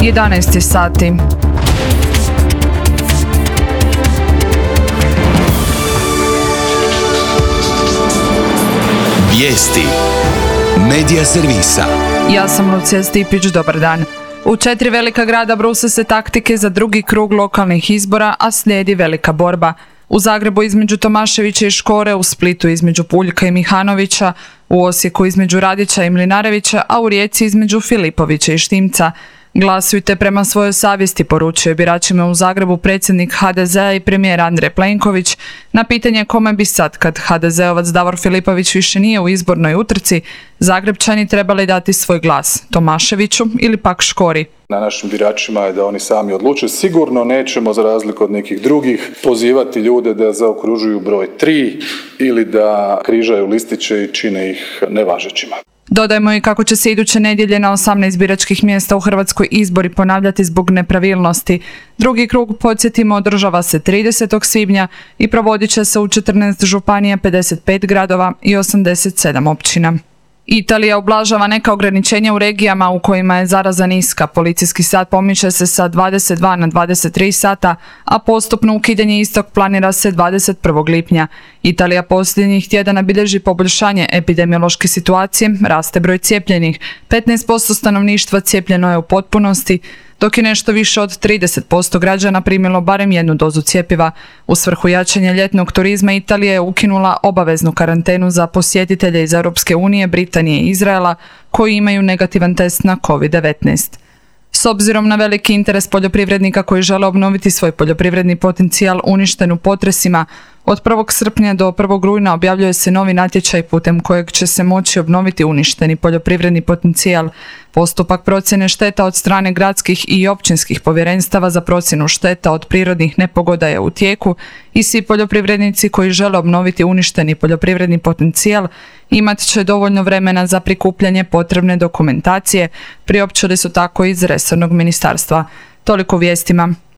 11 sati. Vijesti Medija servisa. Ja sam Lucija Stipić, dobar dan. U 4 velika grada bruse se taktike za drugi krug lokalnih izbora, a slijedi velika borba. U Zagrebu između Tomaševića i Škore, u Splitu između Puljka i Mihanovića, u Osijeku između Radića i Mlinarevića, a u Rijeci između Filipovića i Štimca. Glasujte prema svojoj savjesti, poručuje biračima u Zagrebu predsjednik HDZ-a i premijer Andrej Plenković. Na pitanje kome bi sad, kad HDZ-ovac Davor Filipović više nije u izbornoj utrci, Zagrebčani trebali dati svoj glas, Tomaševiću ili pak Škori. Na našim biračima je da oni sami odluče. Sigurno nećemo, za razliku od nekih drugih, pozivati ljude da zaokružuju broj 3 ili da križaju listiće i čine ih nevažećima. Dodajmo i kako će se iduće nedjelje na 18 biračkih mjesta u Hrvatskoj izbori ponavljati zbog nepravilnosti. Drugi krug, podsjetimo, održava se 30. svibnja i provodit će se u 14 županija, 55 gradova i 87 općina. Italija ublažava neka ograničenja u regijama u kojima je zaraza niska. Policijski sat pomiče se sa 22 na 23 sata, a postupno ukidanje istog planira se 21. lipnja. Italija posljednjih tjedana bilježi poboljšanje epidemiološke situacije, raste broj cijepljenih. 15% stanovništva cijepljeno je u potpunosti, dok je nešto više od 30% građana primilo barem jednu dozu cjepiva. U svrhu jačanja ljetnog turizma Italija je ukinula obaveznu karantenu za posjetitelje iz Europske unije, Britanije i Izraela koji imaju negativan test na COVID-19. S obzirom na veliki interes poljoprivrednika koji žele obnoviti svoj poljoprivredni potencijal uništen u potresima, od 1. srpnja do 1. rujna objavljuje se novi natječaj putem kojeg će se moći obnoviti uništeni poljoprivredni potencijal. Postupak procjene šteta od strane gradskih i općinskih povjerenstava za procjenu šteta od prirodnih nepogoda je u tijeku i svi poljoprivrednici koji žele obnoviti uništeni poljoprivredni potencijal imat će dovoljno vremena za prikupljanje potrebne dokumentacije, priopćili su tako iz resornog ministarstva. Toliko u vijestima.